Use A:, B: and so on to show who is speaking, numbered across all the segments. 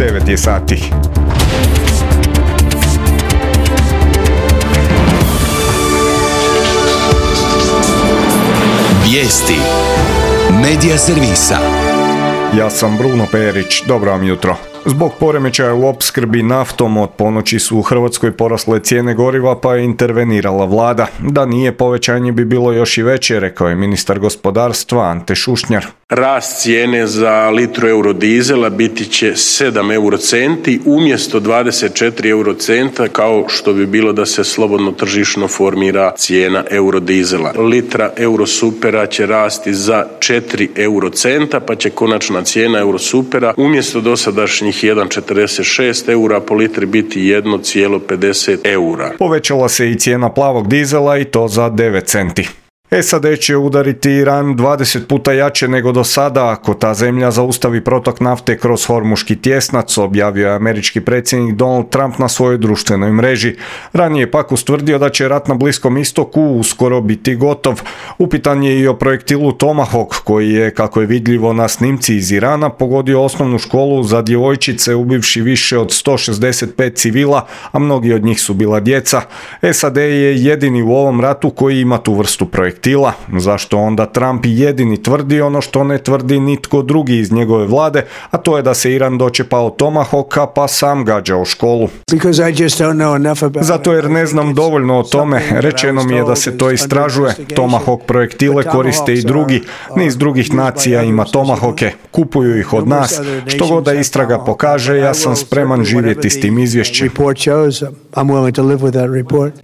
A: 9 je sati.
B: Vijesti Medija servisa.
A: Ja sam Bruno Perić, dobro vam jutro. Zbog poremećaja u opskrbi naftom od ponoći su u Hrvatskoj porasle cijene goriva pa je intervenirala vlada. Da nije, povećanje bi bilo još i veće, rekao je ministar gospodarstva Ante Šušnjar.
C: Rast cijene za litru eurodizela biti će 7 eurocenti umjesto 24 eurocenta kao što bi bilo da se slobodno tržišno formira cijena eurodizela. Litra eurosupera će rasti za 4 eurocenta pa će konačna cijena eurosupera umjesto dosadašnjih 1,46 eura po litri biti 1,50 eura.
A: Povećala se i cijena plavog dizela i to za 9 centi. SAD će udariti Iran 20 puta jače nego do sada ako ta zemlja zaustavi protok nafte kroz Hormuški tjesnac, objavio je američki predsjednik Donald Trump na svojoj društvenoj mreži. Ranije pak ustvrdio da će rat na Bliskom istoku uskoro biti gotov. Upitan je i o projektilu Tomahawk koji je, kako je vidljivo na snimci iz Irana, pogodio osnovnu školu za djevojčice ubivši više od 165 civila, a mnogi od njih su bila djeca. SAD je jedini u ovom ratu koji ima tu vrstu projektila. Zašto onda Trump jedini tvrdi ono što ne tvrdi nitko drugi iz njegove vlade, a to je da se Iran dočepao Tomahawka pa sam gađao školu. Zato jer ne znam dovoljno o tome, rečeno mi je da se to istražuje. Tomahawk projektile koriste i drugi, niz drugih nacija ima Tomahawke, kupuju ih od nas. Što god da istraga pokaže, ja sam spreman živjeti s tim izvješćem.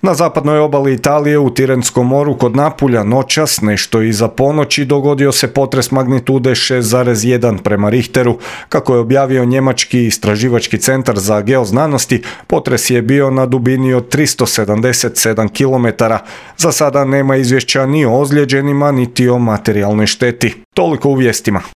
A: Na zapadnoj obali Italije u Tirenskom moru kod Napulja noćas, nešto iza ponoći, dogodio se potres magnitude 6,1 prema Richteru. Kako je objavio njemački istraživački centar za geoznanosti, potres je bio na dubini od 377 km. Za sada nema izvješća ni o ozlijeđenima, niti o materijalnoj šteti. Toliko u vijestima.